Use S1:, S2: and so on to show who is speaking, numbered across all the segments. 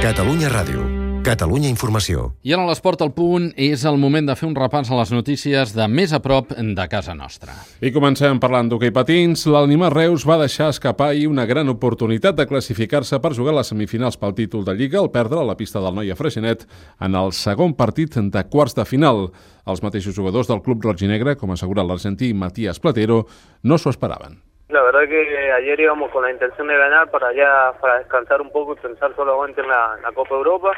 S1: Catalunya Ràdio. Catalunya Informació.
S2: I ara a l'Esport al Punt és el moment de fer un repàs a les notícies de més a prop de casa nostra.
S3: I comencem parlant d'hoquei patins. l'Almimar Reus va deixar escapar ahir una gran oportunitat de classificar-se per jugar a les semifinals pel títol de Lliga al perdre a la pista del Noia Freixenet en el segon partit de quarts de final. Els mateixos jugadors del club roig-i-negre, com assegura l'argentí Matías Platero, no s'ho esperaven.
S4: La verdad que ayer íbamos con la intención de ganar para descansar un poco y pensar solamente en la Copa Europa,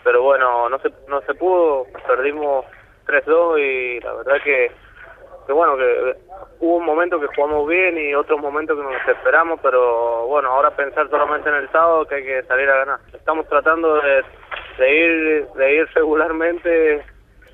S4: pero bueno, no se pudo, perdimos 3-2 y la verdad que hubo un momento que jugamos bien y otros momentos que nos desesperamos, pero bueno, ahora pensar solamente en el sábado que hay que salir a ganar. Estamos tratando de ir regularmente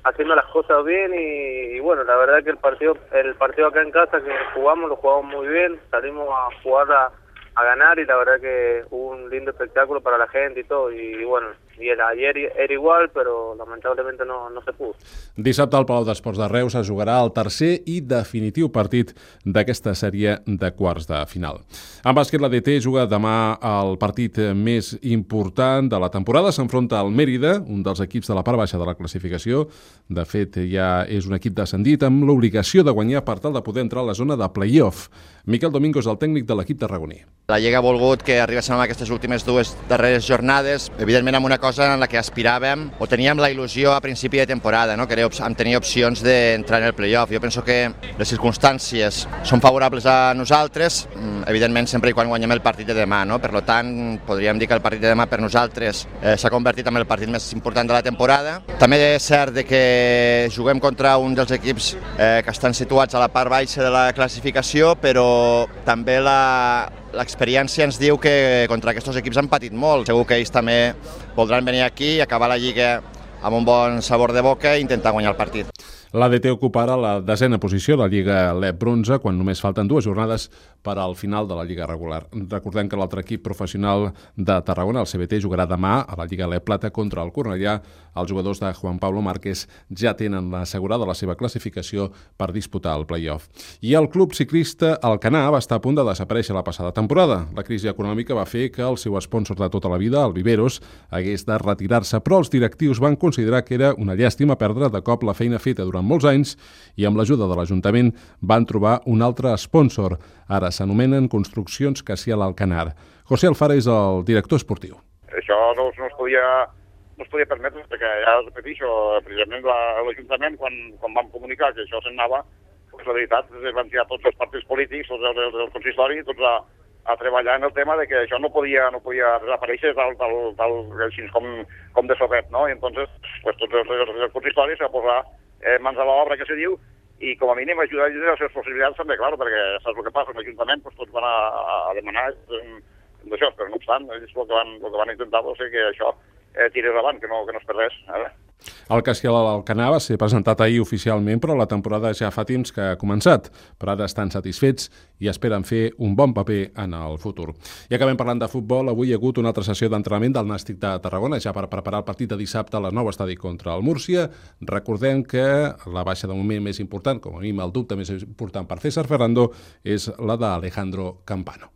S4: haciendo las cosas bien y bueno, la verdad que el partido acá en casa que lo jugamos muy bien, salimos a jugar a ganar y la verdad que hubo un lindo espectáculo para la gente y todo y bueno, y ayer era igual, però lamentablement no se pudo.
S3: Dissabte al Palau d'Esports de Reus es jugarà el tercer i definitiu partit d'aquesta sèrie de quarts de final. En bàsquet, la DT juga demà el partit més important de la temporada. S'enfronta al Mérida, un dels equips de la part baixa de la classificació. De fet, ja és un equip descendit amb l'obligació de guanyar per tal de poder entrar a la zona de play-off. Miquel Domingo és el tècnic de l'equip tarragoní.
S5: La Lliga ha volgut que arribéssim a aquestes últimes dues darreres jornades, evidentment amb una cosa en la que aspiràvem o teníem la il·lusió a principi de temporada, no? Que era tenir opcions d'entrar en el play-off. Jo penso que les circumstàncies són favorables a nosaltres, evidentment sempre i quan guanyem el partit de demà, no? Per tant, podríem dir que el partit de demà per nosaltres s'ha convertit en el partit més important de la temporada. També és cert que juguem contra un dels equips que estan situats a la part baixa de la classificació, però també l'experiència ens diu que contra aquests equips han patit molt. Segur que ells també voldran venir aquí i acabar la Lliga amb un bon sabor de boca i intentar guanyar el partit.
S3: L'ADT ocupa ara la 10a posició de la Lliga LEP Bronze, quan només falten 2 jornades per al final de la Lliga regular. Recordem que l'altre equip professional de Tarragona, el CBT, jugarà demà a la Lliga LEP Plata contra el Cornellà. Els jugadors de Juan Pablo Márquez ja tenen assegurada la seva classificació per disputar el play-off. I el club ciclista Alcanar va estar a punt de desaparèixer la passada temporada. La crisi econòmica va fer que el seu sponsor de tota la vida, el Viveros, hagués de retirar-se, però els directius van considerar que era una llàstima perdre de cop la feina feta durant molts anys i amb l'ajuda de l'Ajuntament van trobar un altre sponsor. Ara s'anomenen Construccions Cassial Alcanar. José Alfara és el director esportiu.
S6: Això no es podia permetre, perquè ja repeteixo, precisament l'Ajuntament, quan vam comunicar que això s'anava, pues la veritat, van tirar tots els partits polítics, tots els consistoris, tots a treballar en el tema de que això no podia desaparèixer així com de sobret, no? I entonces, pues, tots els consistoris a posar mans a l'obra, que se diu, i com a mínim ajudar a les seves possibilitats també, clar, perquè saps el que passa, l'Ajuntament, pues, tots van a demanar d'això, però no obstant, ells el que van intentar va ser que això tirés avant, que no es perdés.
S3: El Cassial Alcanar va ser presentat ahir oficialment, però la temporada ja fa temps que ha començat. Per ara estan satisfets i esperen fer un bon paper en el futur. I acabem parlant de futbol. Avui hi ha hagut una altra sessió d'entrenament del Nàstic de Tarragona, ja per preparar el partit de dissabte al nou estadi contra el Múrcia. Recordem que la baixa de moment més important, com a mínim el dubte més important per César Ferrando, és la d'Alejandro Campano.